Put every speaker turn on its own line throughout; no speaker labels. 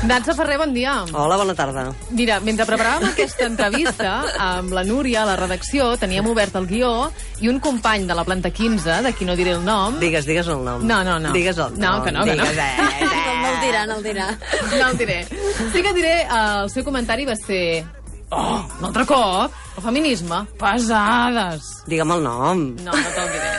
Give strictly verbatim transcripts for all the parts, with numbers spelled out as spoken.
Natza Ferrer, bon dia.
Hola, bona tarda.
Mira, mentre preparàvem aquesta entrevista amb la Núria a la redacció, teníem obert el guió i un company de la planta quinze, de qui no diré el nom...
Digues, digues el nom.
No, no, no.
Digues el nom.
No, que no, que no.
Digues, eh, eh.
No el dirà, no el dirà.
No el diré. Sí que diré, el seu comentari va ser... Oh, un altre cop? El feminisme? Pesades.
Digue'm el nom.
No, no te'l diré.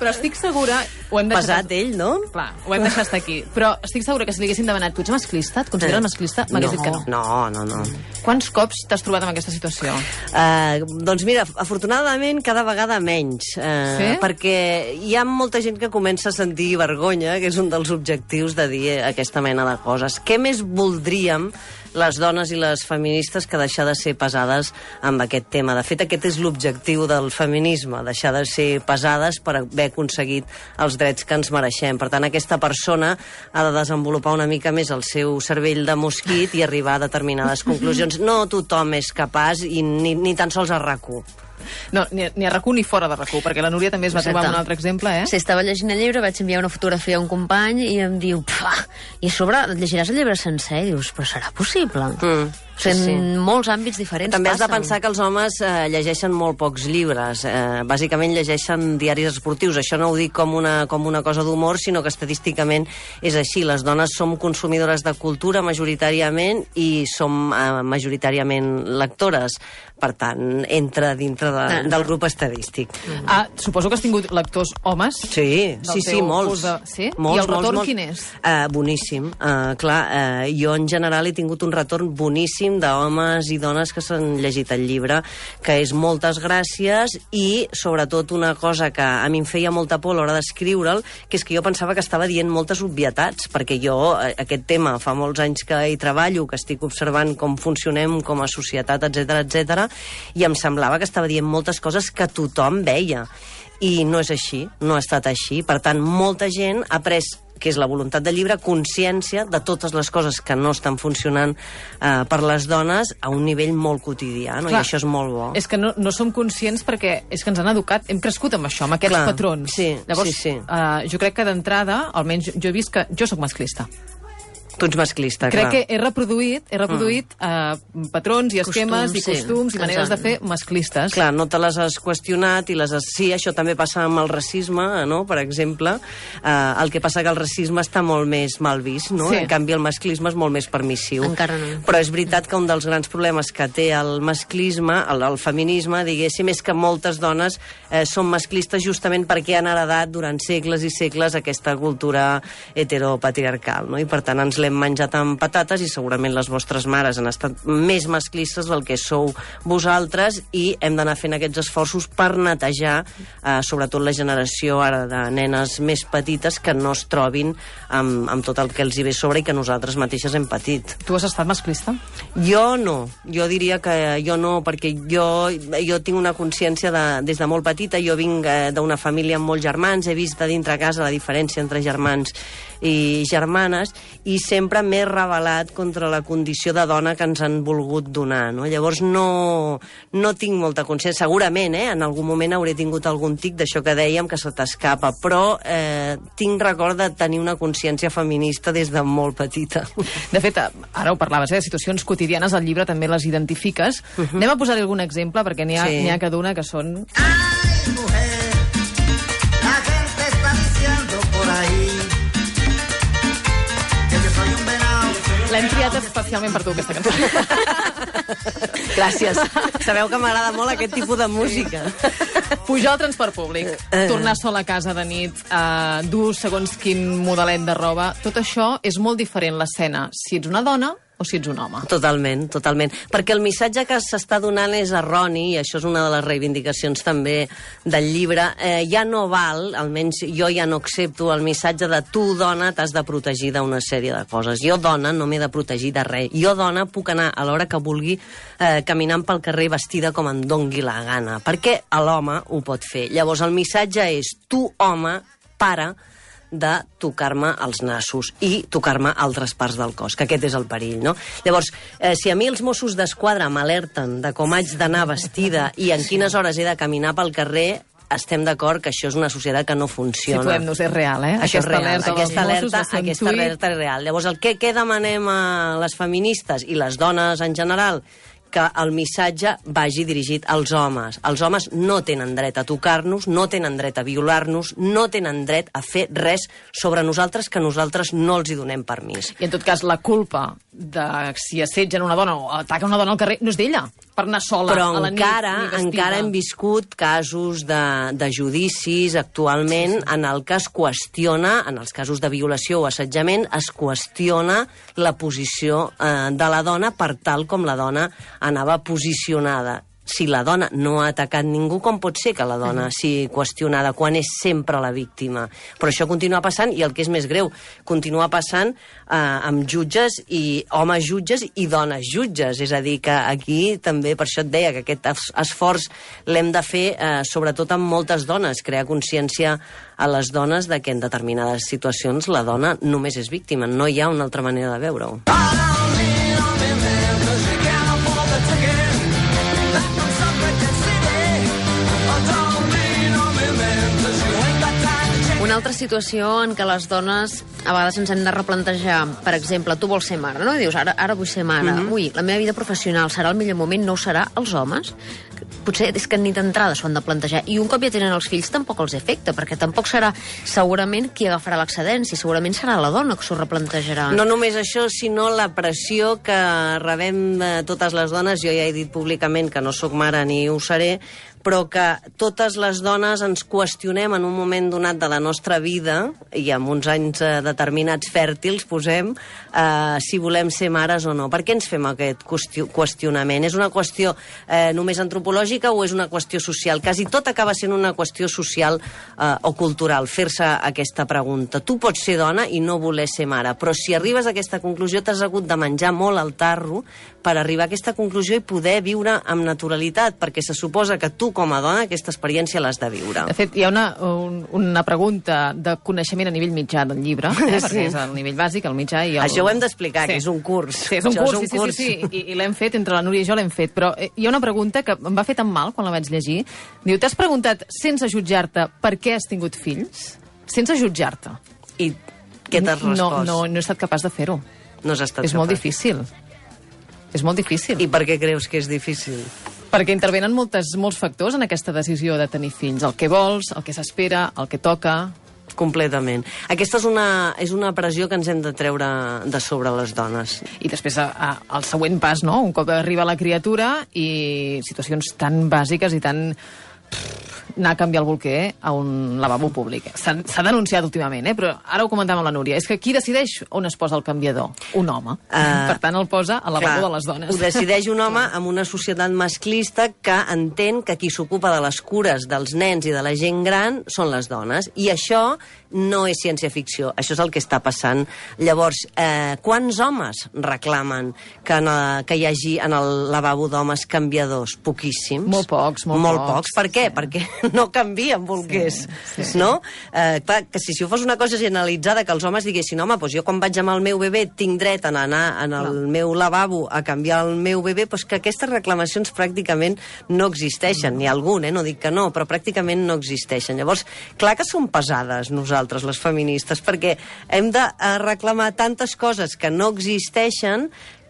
Però estic segura... Ho hem deixat...
Pesat ell, no?
Clar, ho hem deixat estar aquí. Però estic segura que si li haguessin demanat, tu ets masclista? Et consideres
Eh.
masclista? M'hagués dit que no.
No, no, no.
Quants cops t'has trobat en aquesta situació?
Uh, doncs mira, afortunadament cada vegada menys. Uh,
Sí?
Perquè hi ha molta gent que comença a sentir vergonya, que és un dels objectius de dir aquesta mena de coses. Què més voldríem les dones i les feministes que deixar de ser pesades amb aquest tema? De fet, aquest és l'objectiu del feminisme, deixar de ser pesades per haver aconseguit els drets que ens mereixem. Per tant, aquesta persona ha de desenvolupar una mica més el seu cervell de mosquit i arribar a determinades conclusions. No tothom és capaç, i ni, ni tan sols a RAC1.
No, ni, ni a RAC1 ni fora de RAC1, perquè la Núria també es va
Exacte.
trobar amb un altre exemple, eh?
Si estava llegint el llibre, vaig enviar una fotografia a un company i em diu, pfa, i a sobre et llegiràs el llibre sencer? I dius, però serà possible?
Mm.
O sigui,
Sí,
en
sí.
molts àmbits diferents
També has de
passen.
pensar que els homes eh, llegeixen molt pocs llibres. Eh, bàsicament llegeixen diaris esportius. Això no ho dic com una, com una cosa d'humor, sinó que estadísticament és així. Les dones som consumidores de cultura majoritàriament i som eh, majoritàriament lectores. Per tant, entra dintre de,
Ah.
del grup estadístic.
Ah, suposo que has tingut lectors homes?
Sí,
Del
sí, sí,
teu
molts.
curs de- sí?
molts.
I el retorn
molts,
quin és?
Uh, boníssim. Uh, clar, uh, jo en general he tingut un retorn boníssim d'homes i dones que s'han llegit el llibre, que és moltes gràcies i, sobretot, una cosa que a mi em feia molta por a l'hora d'escriure'l, que és que jo pensava que estava dient moltes obvietats, perquè jo, eh, aquest tema, fa molts anys que hi treballo, que estic observant com funcionem com a societat, etcètera, etcètera, i em semblava que estava dient moltes coses que tothom veia. I no és així, no ha estat així. Per tant, molta gent ha pres, que és la voluntat del llibre, consciència de totes les coses que no estan funcionant eh, per les dones a un nivell molt quotidià, no?
Clar,
I això és molt bo.
És que no, no som conscients perquè és que ens han educat, hem crescut amb això, amb aquests
Clar,
patrons.
sí,
Llavors,
sí, sí.
Uh, jo crec que d'entrada, almenys jo he vist que jo sóc masclista.
Tu ets masclista,
Crec
clar.
que he reproduït, he reproduït mm. uh, patrons i esquemes
Costums,
i
sí.
costums i maneres de
Exacte.
fer masclistes.
Clar, no te les has qüestionat i les has... Sí, això també passa amb el racisme, no?, per exemple. Uh, el que passa que el racisme està molt més mal vist, no?
Sí.
En canvi, el masclisme és molt més permissiu.
Encara no.
Però és veritat que un dels grans problemes que té el masclisme, el, el feminisme, diguéssim, és que moltes dones eh, són masclistes justament perquè han heredat durant segles i segles aquesta cultura heteropatriarcal, no? I per tant ens l'hem menjat amb patates i segurament les vostres mares han estat més masclistes del que sou vosaltres i hem d'anar fent aquests esforços per netejar eh, sobretot la generació ara de nenes més petites que no es trobin amb, amb tot el que els hi ve sobre i que nosaltres mateixes hem patit.
Tu has estat masclista?
Jo no, jo diria que jo no, perquè jo, jo tinc una consciència de, des de molt petita, jo vinc eh, d'una família amb molts germans, he vist de dintre casa la diferència entre germans i germanes i sempre m'he rebel·lat contra la condició de dona que ens han volgut donar, no? Llavors no, no tinc molta consciència, segurament, eh? En algun moment hauré tingut algun tic d'això que dèiem que se t'escapa, però eh, tinc record de tenir una consciència feminista des de molt petita.
De fet, ara ho parlaves, eh, de situacions quotidianes, al llibre també les identifiques. Uh -huh. Anem a posar-hi algun exemple, perquè n'hi ha,
Sí.
n'hi ha cada una que són...
Ay, mujer, la gente está diciendo por ahí que yo soy un venado.
L'hem triat especialment per tu, aquesta cançó.
Gràcies. Sabeu que m'agrada molt aquest tipus de música.
Pujar al transport públic, tornar sola a casa de nit, uh, dur segons quin modelet de roba, tot això és molt diferent l'escena, si ets una dona o si ets un home.
Totalment, totalment. Perquè el missatge que s'està donant és erroni, i això és una de les reivindicacions també del llibre. Eh, ja no val, almenys jo ja no accepto el missatge de tu, dona, t'has de protegir d'una sèrie de coses. Jo, dona, no m'he de protegir de res. Jo, dona, puc anar a l'hora que vulgui eh, caminant pel carrer vestida com em dongui la gana. Perquè l'home ho pot fer. Llavors, el missatge és tu, home, para de tocar-me els nassos i tocar-me altres parts del cos, que aquest és el perill, no? Llavors, eh, si a mi els Mossos d'Esquadra m'alerten de com haig d'anar vestida i en quines hores he de caminar pel carrer, estem d'acord que això és una societat que no funciona.
Situem-nos, és real, eh?
Això
Aquesta
és real.
alerta dels
Aquesta
Mossos
alerta,
va ser un
aquesta
tuit.
alerta és real. Llavors, el que, què demanem a les feministes i les dones en general? Que el missatge vagi dirigit als homes. Els homes no tenen dret a tocar-nos, no tenen dret a violar-nos, no tenen dret a fer res sobre nosaltres que nosaltres no els hi donem permís.
I en tot cas, la culpa de si assetgen una dona o ataquen una dona al carrer no és d'ella, per anar sola
Però
a la nit.
encara,
ni vestida.
encara hem viscut casos de, de judicis actualment en el que es qüestiona, en els casos de violació o assetjament, es qüestiona la posició eh, de la dona per tal com la dona anava posicionada. Si la dona no ha atacat ningú, com pot ser que la dona sigui qüestionada quan és sempre la víctima? Però això continua passant, i el que és més greu, continua passant eh, amb jutges i homes jutges i dones jutges. És a dir, que aquí també, per això et deia que aquest es esforç l'hem de fer eh, sobretot amb moltes dones, crear consciència a les dones de que en determinades situacions la dona només és víctima, no hi ha una altra manera de veure-ho.
Una altra situació en què les dones a vegades ens hem de replantejar, per exemple, tu vols ser mare, no? I dius, ara, ara vull ser mare. Mm-hmm. Ui, la meva vida professional serà el millor moment, no ho serà els homes? Potser és que ni d'entrada s'ho han de plantejar. I un cop ja tenen els fills tampoc els afecta, perquè tampoc serà segurament qui agafarà l'excedència, segurament serà la dona que s'ho replantejarà.
No només això, sinó la pressió que rebem eh, totes les dones. Jo ja he dit públicament que no sóc mare ni ho seré, però que totes les dones ens qüestionem en un moment donat de la nostra vida, i amb uns anys eh, determinats fèrtils, posem, eh, si volem ser mares o no. Per què ens fem aquest qüestionament? És una qüestió eh, només antropològica o és una qüestió social? Quasi tot acaba sent una qüestió social eh, o cultural, fer-se aquesta pregunta. Tu pots ser dona i no voler ser mare, però si arribes a aquesta conclusió t'has hagut de menjar molt al tarro per arribar a aquesta conclusió i poder viure amb naturalitat, perquè se suposa que tu com a dona aquesta experiència l'has de viure.
De fet, hi ha una, un, una pregunta de coneixement a nivell mitjà del llibre, eh,
Sí.
perquè és el nivell bàsic, el mitjà i el...
Això ho hem d'explicar,
Sí.
que és un curs.
Sí, és un
Això
curs,
és un
sí,
curs.
sí, sí, sí, i, i l'hem fet, entre la Núria i jo l'hem fet, però eh, hi ha una pregunta que em va fer tan mal quan la vaig llegir. Diu, t'has preguntat, sense jutjar-te, per què has tingut fills? Sense jutjar-te.
I què t'has respost?
No, no, no he estat capaç de fer-ho.
No has estat
És molt
capaç.
difícil. És molt difícil.
I per què creus que és difícil?
Perquè intervenen moltes, molts factors en aquesta decisió de tenir fills. El que vols, el que s'espera, el que toca...
Completament. Aquesta és una, és una pressió que ens hem de treure de sobre les dones.
I després a, a, el següent pas, no? Un cop arriba la criatura i situacions tan bàsiques i tan... anar a canviar el bolquer a un lavabo públic. S'ha denunciat últimament, eh? Però ara ho comentàvem amb la Núria. És que qui decideix on es posa el canviador? Un home. Uh, per tant, el posa al lavabo
clar,
de les dones.
Ho decideix un home amb una societat masclista que entén que qui s'ocupa de les cures dels nens i de la gent gran són les dones. I això no és ciència-ficció, això és el que està passant. Llavors, eh, quants homes reclamen que, en, que hi hagi en el lavabo d'homes canviadors? Poquíssims.
Molt pocs, molt,
molt
pocs.
pocs. Per què? Sí. Perquè no canvien bolquers, sí, sí. no? Eh, clar, que si, si fos una cosa generalitzada, que els homes diguessin, home, doncs jo quan vaig amb el meu bebè tinc dret a anar en el no. meu lavabo a canviar el meu bebè, doncs que aquestes reclamacions pràcticament no existeixen. N'hi ha algun, eh? No dic que no, però pràcticament no existeixen. Llavors, clar que som pesades nosaltres, les feministes, perquè hem de reclamar tantes coses que no existeixen,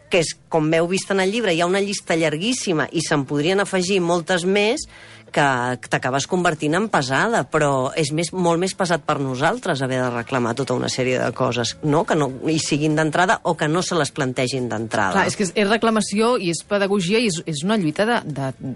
que és, com heu vist en el llibre, hi ha una llista llarguíssima i se'n podrien afegir moltes més, que t'acabes convertint en pesada, però és més, molt més pesat per nosaltres haver de reclamar tota una sèrie de coses, no? Que no hi siguin d'entrada o que no se les plantegin d'entrada.
Clar, és que és, és reclamació i és pedagogia i és, és una lluita de, de,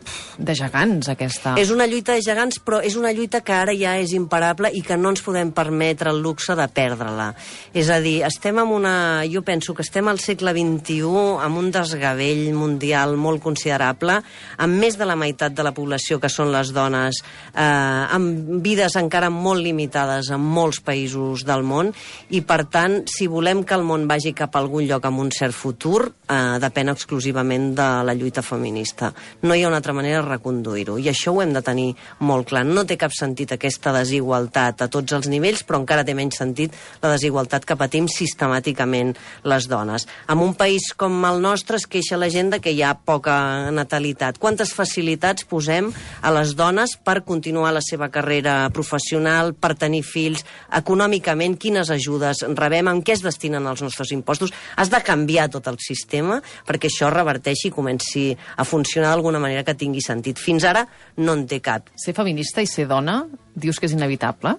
de gegants, aquesta.
És una lluita de gegants, però és una lluita que ara ja és imparable i que no ens podem permetre el luxe de perdre-la. És a dir, estem en una... Jo penso que estem al segle vint-i-u amb un desgavell mundial molt considerable, amb més de la meitat de la població que són les dones, eh, amb vides encara molt limitades en molts països del món, i per tant, si volem que el món vagi cap a algun lloc amb un cert futur, eh, depèn exclusivament de la lluita feminista. No hi ha una altra manera de reconduir-ho, i això ho hem de tenir molt clar. No té cap sentit aquesta desigualtat a tots els nivells, però encara té menys sentit la desigualtat que patim sistemàticament les dones. En un país com el nostre es queixa la gent de que hi ha poca natalitat. Quantes facilitats posem a les dones per continuar la seva carrera professional, per tenir fills, econòmicament, quines ajudes rebem, en què es destinen els nostres impostos. Has de canviar tot el sistema perquè això reverteixi i comenci a funcionar d'alguna manera que tingui sentit. Fins ara no en té cap.
Ser feminista i ser dona, dius que és inevitable?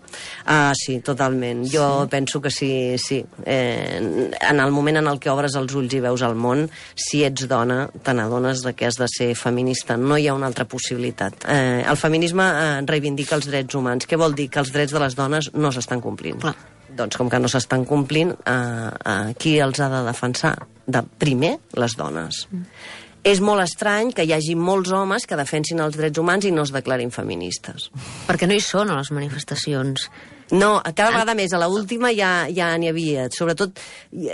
Ah, sí, totalment. Jo sí. penso que sí, sí. Eh, en el moment en el que obres els ulls i veus el món, si ets dona, te n'adones que has de ser feminista. No hi ha una altra possibilitat. Eh, el feminisme eh, reivindica els drets humans. Què vol dir? Que els drets de les dones no s'estan complint.
Clar.
Doncs com que no s'estan complint, eh, eh, qui els ha de defensar? De, primer, les dones. Mm. És molt estrany que hi hagi molts homes que defensin els drets humans i no es declarin feministes.
Perquè no hi són a les manifestacions.
No, cada vegada més. A l'última ja ja n'hi havia. Sobretot,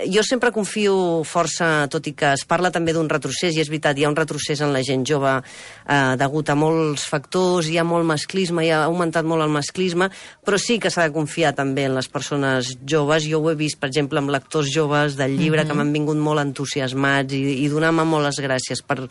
jo sempre confio força, tot i que es parla també d'un retrocés, i és veritat, hi ha un retrocés en la gent jove eh, degut a molts factors, hi ha molt masclisme, hi ha augmentat molt el masclisme, però sí que s'ha de confiar també en les persones joves. Jo ho he vist, per exemple, amb lectors joves del llibre, mm-hmm. que m'han vingut molt entusiasmats i, i donar-me molt les gràcies per,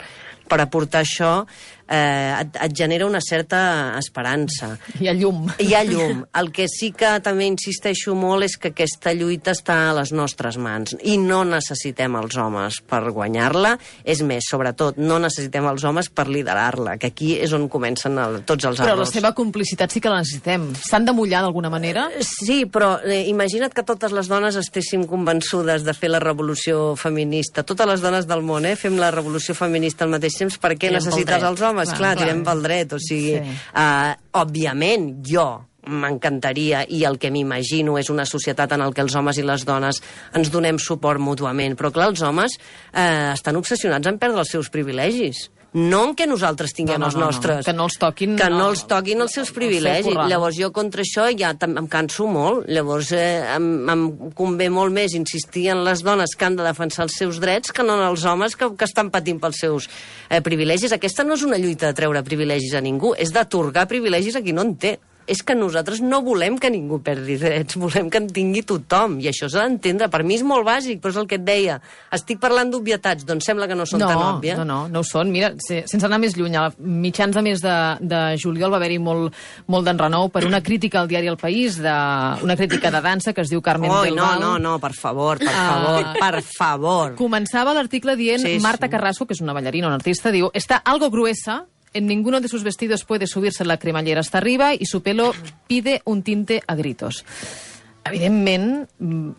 per aportar això. Eh, et, et genera una certa esperança.
Hi ha llum.
Hi ha llum. El que sí que també insisteixo molt és que aquesta lluita està a les nostres mans i no necessitem els homes per guanyar-la. És més, sobretot, no necessitem els homes per liderar-la, que aquí és on comencen el, tots els errors.
Però la seva complicitat sí que la necessitem. S'han de mullar d'alguna manera?
Sí, però eh, imagina't que totes les dones estéssim convençudes de fer la revolució feminista. Totes les dones del món, eh, fem la revolució feminista al mateix temps. Per què
Tirem
necessites els homes? Clar, clar, tirem pel dret. O sigui, sí. uh, òbviament, jo m'encantaria, i el que m'imagino és una societat en el que els homes i les dones ens donem suport mútuament. Però clar, els homes eh, estan obsessionats en perdre els seus privilegis. No en què nosaltres tinguem
no, no,
els
no,
nostres.
No. Que no els toquin...
Que no els toquin els seus privilegis.
El
Llavors jo contra això ja em canso molt. Llavors eh, em, em convé molt més insistir en les dones que han de defensar els seus drets que no en els homes que, que estan patint pels seus eh, privilegis. Aquesta no és una lluita de treure privilegis a ningú, és d'atorgar privilegis a qui no en té. És que nosaltres no volem que ningú perdi drets, volem que en tingui tothom, i això s'ha d'entendre. Per mi és molt bàsic, però és el que et deia. Estic parlant d'obvietats, doncs sembla que no són
no,
tan òbvies.
No, no, no ho són. Mira, sense anar més lluny, a mitjans de mes de, de juliol va haver-hi molt, molt d'enrenou per una crítica al diari El País, de, una crítica de dansa que es diu Carmen
Oi,
del
no,
Val.
no, no, per favor, per favor, uh, per favor.
Començava l'article dient,
sí,
Marta
sí.
Carrasco, que és una ballarina, una artista, diu, está algo gruesa. En ninguno de sus vestidos puede subirse la cremallera hasta arriba y su pelo pide un tinte a gritos. Evidentment,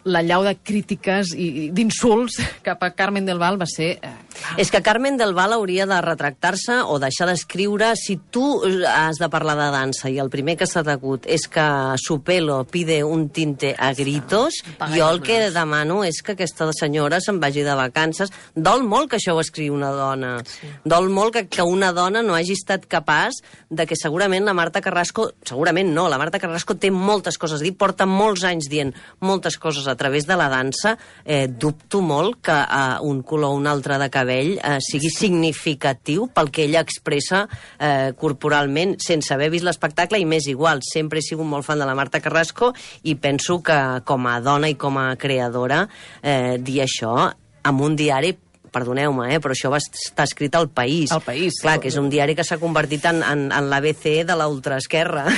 la llau de crítiques i d'insults cap a Carmen del Val va ser... Eh,
és que Carmen del Val hauria de retractar-se o deixar d'escriure. Si tu has de parlar de dansa i el primer que s'ha degut és que su pelo pide un tinte a gritos, jo el que demano és que aquesta senyora se'n vagi de vacances. Dol molt que això ho escriu una dona. Sí. Dol molt que, que una dona no hagi estat capaç de que segurament la Marta Carrasco... Segurament no, la Marta Carrasco té moltes coses a dir, porta molts anys dient moltes coses a través de la dansa. Eh, dubto molt que eh, un color o un altre de cabell eh, sigui significatiu pel que ella expressa eh, corporalment, sense haver vist l'espectacle, i més igual. Sempre he sigut molt fan de la Marta Carrasco i penso que com a dona i com a creadora eh, dir això amb un diari, perdoneu-me, eh, però això va estar escrit al País.
Al País.
Clar, que és un diari que s'ha convertit en, en, en l'A B C de la ultraesquerra,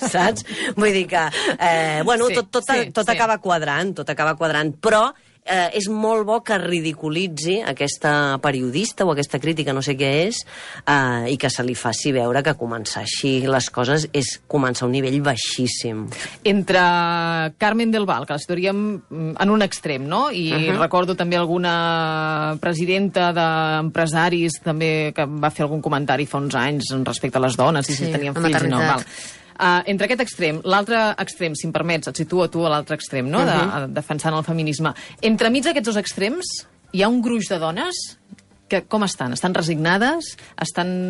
saps? Vull dir que, eh, bueno,
sí,
tot, tot,
sí,
tot
sí.
acaba quadrant, tot acaba quadrant, però eh, és molt bo que ridiculitzi aquesta periodista o aquesta crítica, no sé què és, eh, i que se li faci veure que començar així les coses és començar a un nivell baixíssim.
Entre Carmen del Val, que la situaríem en un extrem, no? I uh-huh. recordo també alguna presidenta d'empresaris també que va fer algun comentari fa uns anys respecte a les dones, i
sí,
si tenien fills i no, val. Uh, entre aquest extrem, l'altre extrem, si em permets, et situo a tu a l'altre extrem, no? Uh-huh. de, de, defensant el feminisme. Entremig d'aquests dos extrems hi ha un gruix de dones que com estan? Estan resignades? Estan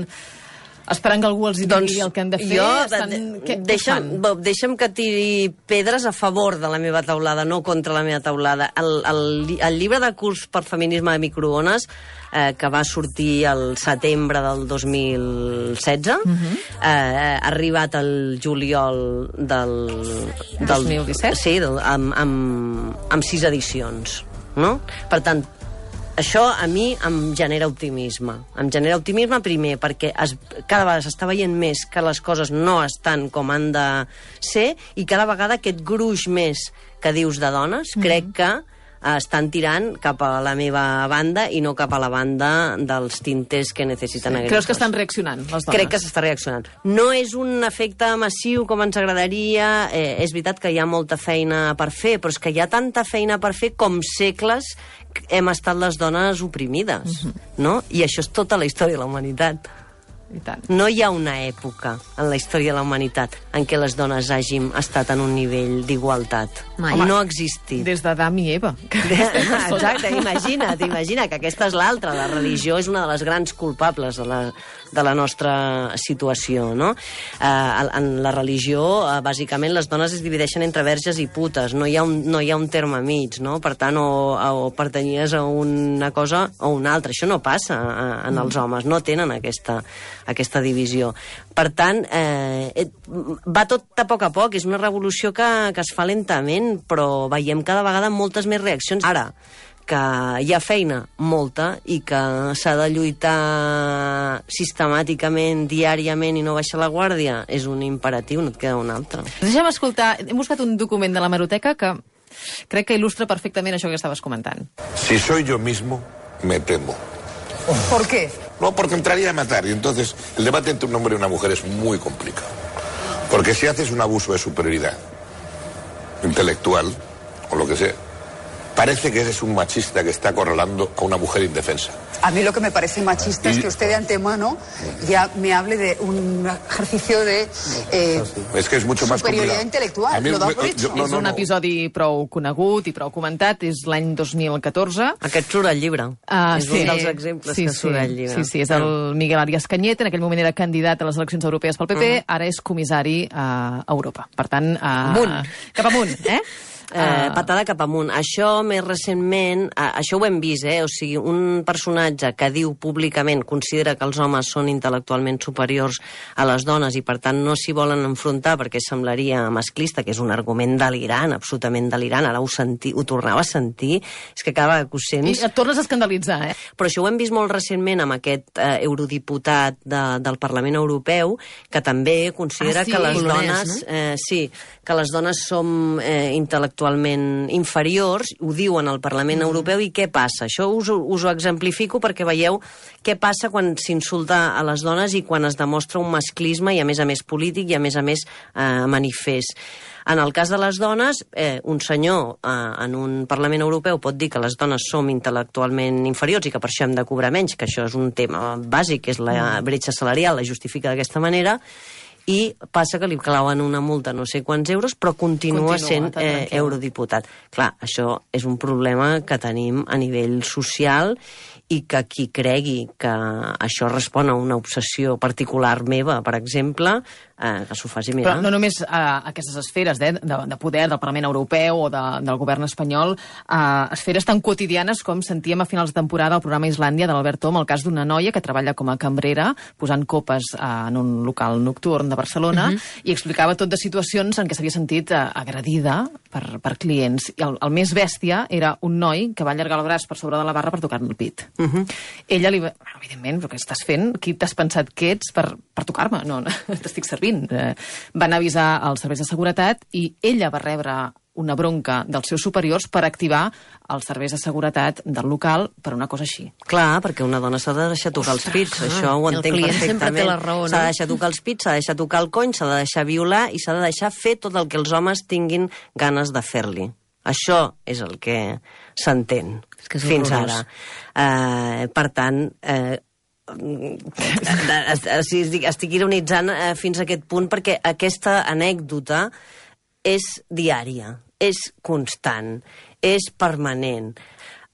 esperant que algú els digui doncs el que han de fer?
Jo,
estan...
de,
què,
deixa'm,
què
deixa'm que tiri pedres a favor de la meva taulada, no contra la meva taulada. El, el, el llibre de curs per feminisme de microones, eh, que va sortir el setembre del dos mil setze, uh-huh. eh, ha arribat el juliol del... del
dos mil disset?
Sí, del, amb, amb, amb sis edicions. No? Per tant, això a mi em genera optimisme. Em genera optimisme, primer, perquè es, cada vegada s'està veient més que les coses no estan com han de ser i cada vegada aquest gruix més que dius de dones, mm-hmm. crec que estan tirant cap a la meva banda i no cap a la banda dels tinters que necessiten
sí.
aquells.
Creus que estan reaccionant, les dones?
Crec que s'està reaccionant. No és un efecte massiu com ens agradaria, eh, és veritat que hi ha molta feina per fer, però és que hi ha tanta feina per fer com segles hem estat les dones oprimides, mm-hmm. no? I això és tota la història de la humanitat.
I tant.
No hi ha una època en la història de la humanitat en què les dones hàgim estat en un nivell d'igualtat. No ha existit.
Des d'Adam i Eva.
Exacte, imagina't, imagina que aquesta és l'altra. La religió és una de les grans culpables de la, de la nostra situació, no? Eh, en la religió, eh, bàsicament, les dones es divideixen entre verges i putes. No hi ha un, no hi ha un terme mig, no? Per tant, o, o pertanyies a una cosa o una altra. Això no passa en els homes, no tenen aquesta aquesta divisió. Per tant, eh, va tot a poc a poc, és una revolució que, que es fa lentament, però veiem cada vegada moltes més reaccions. Ara, que hi ha feina, molta, i que s'ha de lluitar sistemàticament, diàriament, i no baixar la guàrdia, és un imperatiu, no et queda un altre.
Deixa'm escoltar, hem buscat un document de l'hemeroteca que crec que il·lustra perfectament això que estaves comentant.
Si soy yo mismo, me temo.
¿Por qué?
No, porque entraría a matar. Y entonces el debate entre un hombre y una mujer es muy complicado. Porque si haces un abuso de superioridad intelectual, o lo que sea, parece que eres un machista que está acorralando a una mujer indefensa.
A mí lo que me parece machista y... es que usted de antemano ya me hable de un ejercicio de eh,
es que es mucho más
superioridad intelectual.
Mi,
lo da
me,
por hecho.
Jo, no,
és
no,
un
no.
episodi prou conegut i prou comentat, és l'any dos mil catorze.
Aquest surt al llibre.
Uh,
és
sí.
un dels exemples
sí,
que surt
sí.
al llibre.
Sí, sí, és el Miguel Arias Cañete, en aquell moment era candidat a les eleccions europees pel P P, uh -huh. ara és comissari a Europa. Per tant, uh,
amunt.
Cap amunt, eh?
Eh, patada cap amunt. Això, més recentment, eh, això ho hem vist, eh? O sigui, un personatge que diu públicament, considera que els homes són intel·lectualment superiors a les dones i, per tant, no s'hi volen enfrontar perquè semblaria masclista, que és un argument delirant, absolutament delirant. Ara ho, senti, ho tornava a sentir. És que cada vegada que ho sents...
I et tornes a escandalitzar, eh?
Però això ho hem vist molt recentment amb aquest eh, eurodiputat de, del Parlament Europeu, que també considera
ah, sí,
que les
polonès,
dones...
no?
Eh, sí, que les dones som eh, intel·lectualment actualment inferiors, ho diuen al Parlament mm. Europeu, i què passa? Això us, us ho exemplifico perquè veieu què passa quan s'insulta a les dones i quan es demostra un masclisme i a més a més polític i a més a més eh, manifest. En el cas de les dones, eh, un senyor eh, en un Parlament Europeu pot dir que les dones som intel·lectualment inferiors i que per això hem de cobrar menys, que això és un tema bàsic, que és la bretxa salarial, la justifica d'aquesta manera, i passa que li clauen una multa no sé quants euros, però continua, continua sent eh, eurodiputat. Clar, això és un problema que tenim a nivell social i que qui cregui que això respon a una obsessió particular meva, per exemple, eh, que s'ho faci mirar.
Però no només a eh, aquestes esferes eh, de, de poder del Parlament Europeu o de, del govern espanyol, eh, esferes tan quotidianes com sentíem a finals de temporada al programa Islàndia de l'Albert Tom, el cas d'una noia que treballa com a cambrera posant copes eh, en un local nocturn de Barcelona, uh -huh. i explicava tot de situacions en què s'havia sentit eh, agredida per, per clients. I el, el més bèstia era un noi que va allargar el braç per sobre de la barra per tocar-me el pit. Uh -huh. Ella li va... Bueno, evidentment, però què estàs fent? Qui t'has pensat que ets per, per tocar-me? No, no t'estic servint. Eh, van avisar als serveis de seguretat i ella va rebre una bronca dels seus superiors per activar els serveis de seguretat del local per una cosa així.
Clar, perquè una dona s'ha de deixar tocar
Ostres,
els pits,
clar.
això ho
El
entenc
client
perfectament.
sempre té la raó, no?
S'ha de deixar tocar els pits, s'ha de deixar tocar el cony, s'ha de deixar violar i s'ha de deixar fer tot el que els homes tinguin ganes de fer-li. Això és el que s'entén fins ara. Uh, per tant, uh, estic, estic ironitzant uh, fins a aquest punt perquè aquesta anècdota és diària, és constant, és permanent.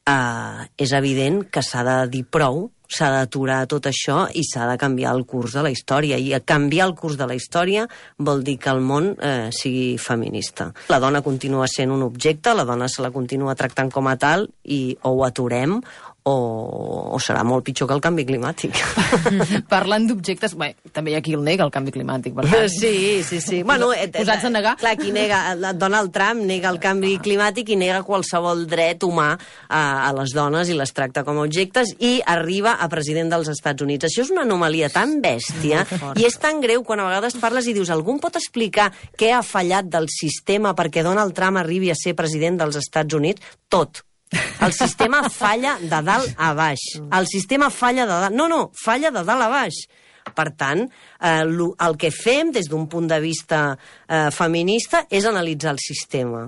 Uh, és evident que s'ha de dir prou, s'ha d'aturar tot això i s'ha de canviar el curs de la història. I canviar el curs de la història vol dir que el món eh, sigui feminista. La dona continua sent un objecte, la dona se la continua tractant com a tal i o ho aturem o, o serà molt pitjor que el canvi climàtic.
Parlant d'objectes, bé, també hi ha qui el nega, el canvi climàtic, per tant.
Sí, sí, sí. Bueno,
posats a negar.
Clar, qui nega, Donald Trump nega el canvi climàtic i nega qualsevol dret humà a, a les dones i les tracta com a objectes i arriba a president dels Estats Units. Això és una anomalia tan bèstia i és tan greu quan a vegades parles i dius algú em pot explicar què ha fallat del sistema perquè Donald Trump arribi a ser president dels Estats Units? Tot. El sistema falla de dalt a baix. El sistema falla de dalt... No, no, falla de dalt a baix. Per tant, eh, el que fem des d'un punt de vista eh, feminista és analitzar el sistema.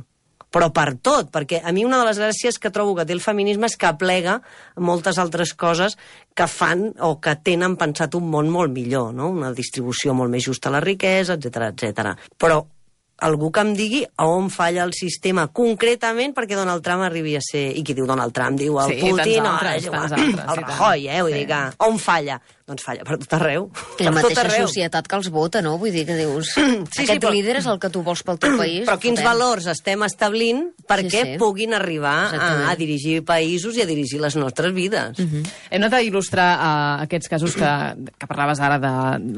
Però per tot, perquè a mi una de les gràcies que trobo que té el feminisme és que aplega moltes altres coses que fan o que tenen pensat un món molt millor, no? Una distribució molt més justa a la riquesa, etcètera, etcètera. Però algú que em digui a on falla el sistema concretament perquè Donald Trump arribi a ser... I qui diu Donald Trump? Diu el
sí,
Putin,
altres,
o
altres,
el Rajoy, eh? Vull sí. dir que on falla? Doncs falla per tot arreu.
I la mateixa societat que els vota, no? Vull dir que dius, sí, aquest sí, però... líder és el que tu vols pel teu país.
Però quins fotem. valors estem establint perquè sí, sí. puguin arribar a, a dirigir països i a dirigir les nostres vides.
Uh -huh. Hem anat a il·lustrar uh, aquests casos que, que parlaves ara de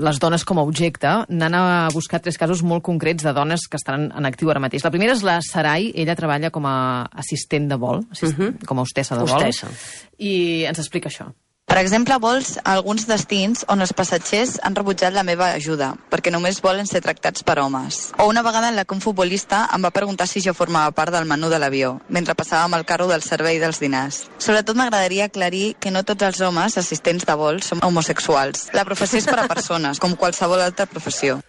les dones com a objecte. N'han buscat tres casos molt concrets de dones que estan en actiu ara mateix. La primera és la Sarai, ella treballa com a assistent de vol, assist... uh -huh. com a hostessa de vol,
hostessa.
I ens explica això.
Per exemple, vols alguns destins on els passatgers han rebutjat la meva ajuda, perquè només volen ser tractats per homes. O una vegada en la que un futbolista em va preguntar si jo formava part del menú de l'avió, mentre passàvem el carro del servei dels dinars. Sobretot m'agradaria aclarir que no tots els homes assistents de vol són homosexuals. La professió és per a persones, com qualsevol altra professió.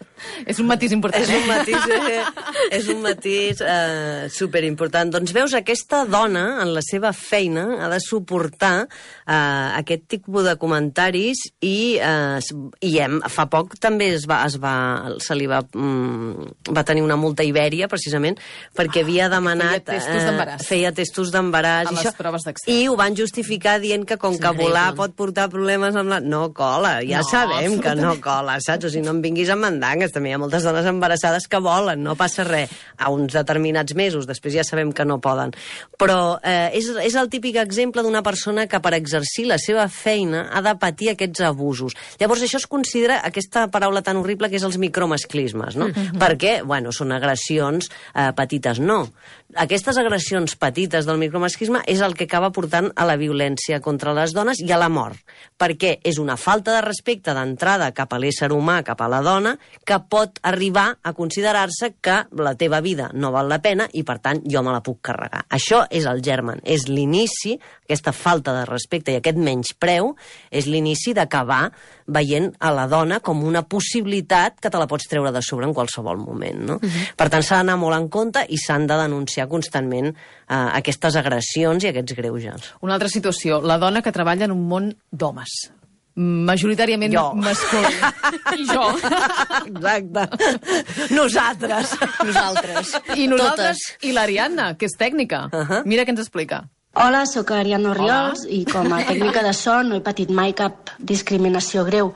És un matís important,
és
eh?
un matís, eh? és un matís eh, superimportant. Doncs veus, aquesta dona, en la seva feina, ha de suportar eh, aquest tipus de comentaris i, eh, i hem, fa poc també es va, es va, se li va, mm, va tenir una multa a Ibèria, precisament, perquè havia demanat...
Feia testos d'embaràs.
Eh, feia testos d'embaràs.
A les proves d'accés.
I ho van justificar dient que com que volar pot portar problemes amb la... No cola, ja no, sabem que no cola, saps? O sigui, no em vinguis amb mandangues. També hi ha moltes dones embarassades que volen, no passa res. A uns determinats mesos, després ja sabem que no poden. Però eh, és, és el típic exemple d'una persona que per exercir la seva feina ha de patir aquests abusos. Llavors això es considera aquesta paraula tan horrible que és els micromasclismes, no? Mm-hmm. Perquè, bueno, són agressions eh, petites. No. Aquestes agressions petites del micromasclisme és el que acaba portant a la violència contra les dones i a la mort. Perquè és una falta de respecte d'entrada cap a l'ésser humà, cap a la dona, que pot arribar a considerar-se que la teva vida no val la pena i, per tant, jo me la puc carregar. Això és el germen, és l'inici, aquesta falta de respecte i aquest menyspreu, és l'inici d'acabar veient a la dona com una possibilitat que te la pots treure de sobre en qualsevol moment, no? Uh-huh. Per tant, s'ha d'anar molt en compte i s'han de denunciar constantment eh, aquestes agressions i aquests greuges.
Una altra situació, la dona que treballa en un món d'homes. Majoritàriament
jo.
masculí. I jo.
Exacte. Nosaltres.
Nosaltres.
I nosaltres
Totes.
i l'Ariadna, que és tècnica. Uh -huh. Mira què ens explica.
Hola, sóc Ariadna Orriols i com a tècnica de so no he patit mai cap discriminació greu,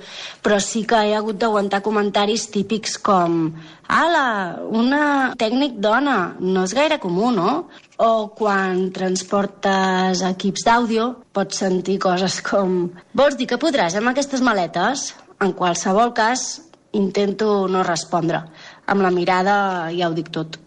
però sí que he hagut d'aguantar comentaris típics com «Ala, una tècnic dona, no és gaire comú, no?» O quan transportes equips d'àudio pots sentir coses com «Vols dir que podràs amb aquestes maletes?» En qualsevol cas, intento no respondre. Amb la mirada ja ho dic tot.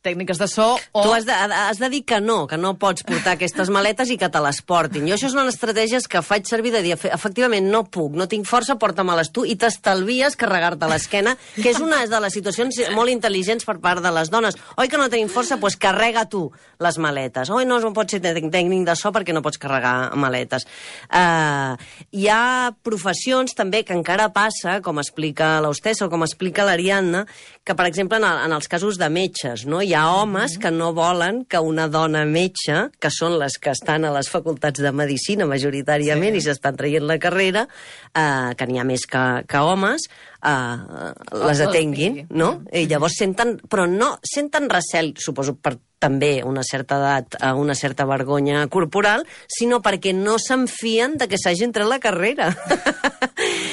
Tècniques de so o...
Tu has de, has de dir que no, que no pots portar aquestes maletes i que te les portin. Jo això és una estratègia que faig servir de dir, efectivament, no puc, no tinc força, porta-me-les tu, i t'estalvies carregar-te l'esquena, que és una de les situacions molt intel·ligents per part de les dones. Oi que no tenim força? Doncs pues carrega tu les maletes. Oi, no, no pots ser tècnic de so perquè no pots carregar maletes. Uh, hi ha professions també que encara passa, com explica l'hostessa o com explica l'Ariadna, que, per exemple, en, el, en els casos de metges, no? Hi ha homes que no volen que una dona metge, que són les que estan a les facultats de medicina majoritàriament sí. i s'estan traient la carrera, eh, que n'hi ha més que, que homes, uh, les atenguin, no? I llavors senten, però no senten recel, suposo per també una certa edat, una certa vergonya corporal, sinó perquè no se'n fien de que s'hagin tret la carrera.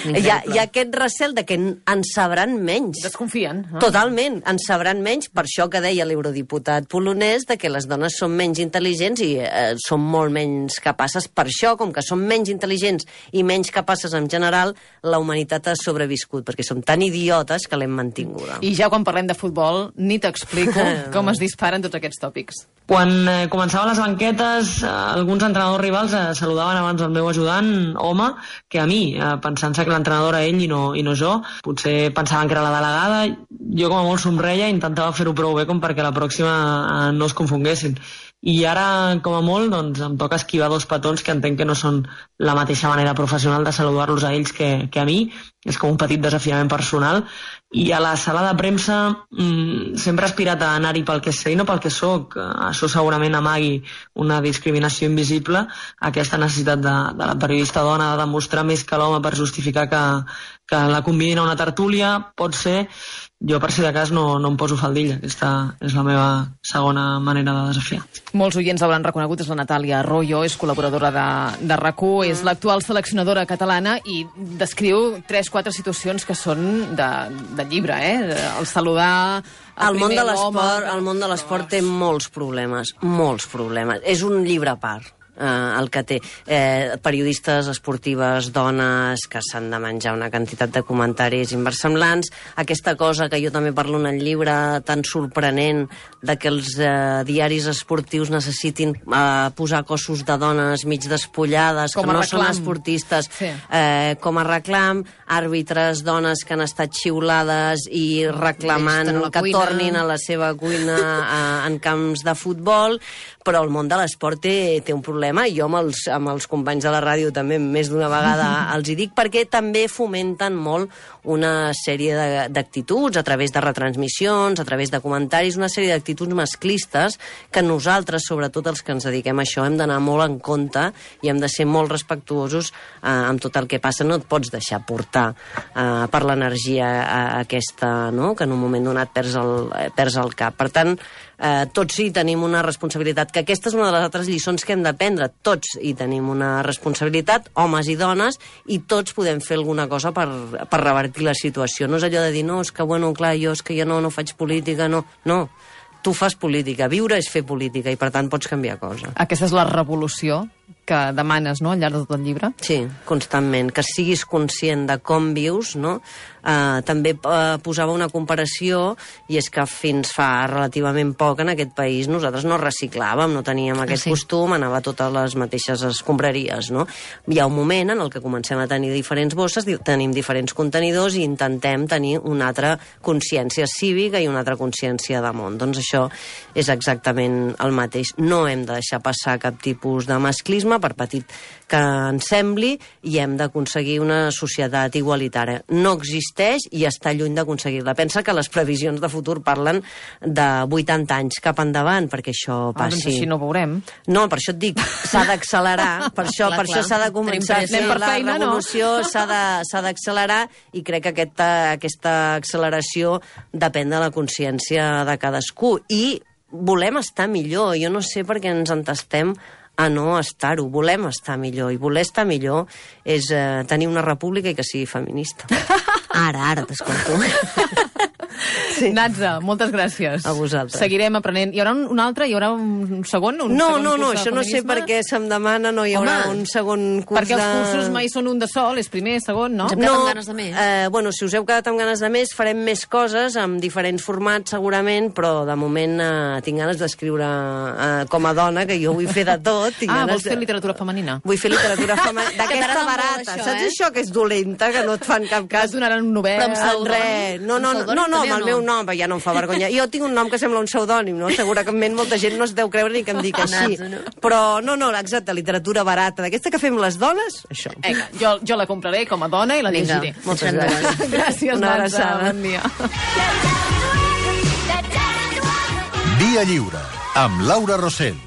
Hi ha, hi ha aquest recel de que en sabran menys.
Desconfien. No?
Totalment, en sabran menys, per això que deia l'eurodiputat polonès, de que les dones són menys intel·ligents i eh, són molt menys capaces. Per això, com que són menys intel·ligents i menys capaces en general, la humanitat ha sobreviscut, perquè som tan idiotes que l'hem mantinguda.
I ja quan parlem de futbol, ni t'explico com es disparen tots aquests tòpics.
Quan eh, començaven les banquetes, eh, alguns entrenadors rivals eh, saludaven abans el meu ajudant, home, que a mi, eh, pensant-se que l'entrenador era ell i no, i no jo. Potser pensaven que era la delegada. Jo com a molt somreia intentava fer-ho prou bé com perquè la pròxima eh, no es confonguessin. I ara, com a molt, doncs, em toca esquivar dos petons que entenc que no són la mateixa manera professional de saludar-los a ells que, que a mi. És com un petit desafiament personal. I a la sala de premsa mmm, sempre he aspirat a anar-hi pel que sé i no pel que sóc. Això segurament amagui una discriminació invisible, aquesta necessitat de, de la periodista dona de demostrar més que l'home per justificar que, que la convidin a una tertúlia. Pot ser. Jo, per si de cas, no, no em poso faldilla. Aquesta és la meva segona manera de desafiar.
Molts oients l'hauran reconegut, és la Natàlia Arroyo, és col·laboradora de, de RAC u, és l'actual seleccionadora catalana i descriu tres, quatre situacions que són de, de llibre, eh? El saludar... El,
el món de l'esport, el món de l'esport té molts problemes, molts problemes. És un llibre a part. Uh, el que té eh, periodistes esportives, dones que s'han de menjar una quantitat de comentaris inversemblants, aquesta cosa que jo també parlo en el llibre tan sorprenent de que els eh, diaris esportius necessitin eh, posar cossos de dones mig despullades,
com
que no
reclam.
són esportistes,
sí.
eh, com a reclam, àrbitres dones que han estat xiulades i reclamant que cuina. Tornin a la seva cuina a, en camps de futbol, però el món de l'esport té, té un problema, i jo amb els, amb els companys de la ràdio també més d'una vegada els hi dic, perquè també fomenten molt una sèrie d'actituds a través de retransmissions, a través de comentaris, una sèrie d'actituds masclistes que nosaltres, sobretot els que ens dediquem a això, hem d'anar molt en compte i hem de ser molt respectuosos eh, amb tot el que passa. No et pots deixar portar eh, per l'energia eh, aquesta, no?, que en un moment donat perds el, eh, perds el cap. Per tant, eh, tots hi tenim una responsabilitat, que aquesta és una de les altres lliçons que hem d'aprendre. Tots hi tenim una responsabilitat, homes i dones, i tots podem fer alguna cosa per, per revertir la situació. No és allò de dir, no, és que, bueno, clar, jo és que jo no, no faig política, no. No, tu fas política. Viure és fer política i, per tant, pots canviar cosa.
Aquesta és la revolució que demanes, no?, al llarg de tot el llibre?
Sí, constantment. Que siguis conscient de com vius, no? Uh, també uh, posava una comparació, i és que fins fa relativament poc en aquest país nosaltres no reciclàvem, no teníem aquest ah, sí. costum, anava a totes les mateixes escombraries, no? Hi ha un moment en el que comencem a tenir diferents bosses, tenim diferents contenidors i intentem tenir una altra consciència cívica i una altra consciència de món. Doncs això és exactament el mateix. No hem de deixar passar cap tipus de masclisme, per petit que ens sembli, i hem d'aconseguir una societat igualitària. No existeix i està lluny d'aconseguir-la. Pensa que les previsions de futur parlen de vuitanta anys cap endavant perquè això passi.
Ah, doncs així no veurem.
No, per això et dic, s'ha d'accelerar, per això
clar,
per això s'ha de començar a fer la
feina,
revolució, no? s'ha d'accelerar, i crec que aquesta, aquesta acceleració depèn de la consciència de cadascú. I volem estar millor. Jo no sé per què ens entestem a no estar-ho. Volem estar millor, i voler estar millor és eh, tenir una república i que sigui feminista. Ara, ara t'escolto.
Sí. Natza, moltes gràcies.
A vosaltres.
Seguirem aprenent. Hi haurà un, un altre? Hi haurà un segon? Un
no,
segon
no, no,
curs
això no sé per què se'm demana, no hi haurà
Home,
un segon curs
perquè els
de...
cursos mai són un de sol, és primer, segon, no?
Ens hem quedat amb ganes de més.
Eh, bueno, si us heu quedat amb ganes de més, farem més coses, amb diferents formats segurament, però de moment eh, tinc ganes d'escriure eh, com a dona, que jo vull fer de tot. Tinc
Ah,
ganes
vols fer
de...
literatura femenina?
Vull fer literatura femenina, d'aquesta
t'agrada
barata.
molt, això,
Saps
eh?
això que és dolenta, que no et fan cap
Que
cas?
et donaran un novel.
Però amb pseudònim?
Res. No, no, no,
Amb
no, no,
pseudònim
amb el
també o
meu
no?
nom, ja no em fa vergonya. Jo tinc un nom que sembla un pseudònim, no? Segurament molta gent no es deu creure ni que em dic així.
Natza, no?
Però no, no, exacte, literatura barata, d'aquesta que fem les dones, això.
Vinga, jo, jo la compraré com a dona i la
Vinga,
llegiré.
Moltes
deixem
gràcies.
Gràcies,
Una
Natza.
abraçada.
Bon dia.
Via Lliure, amb Laura Rosell.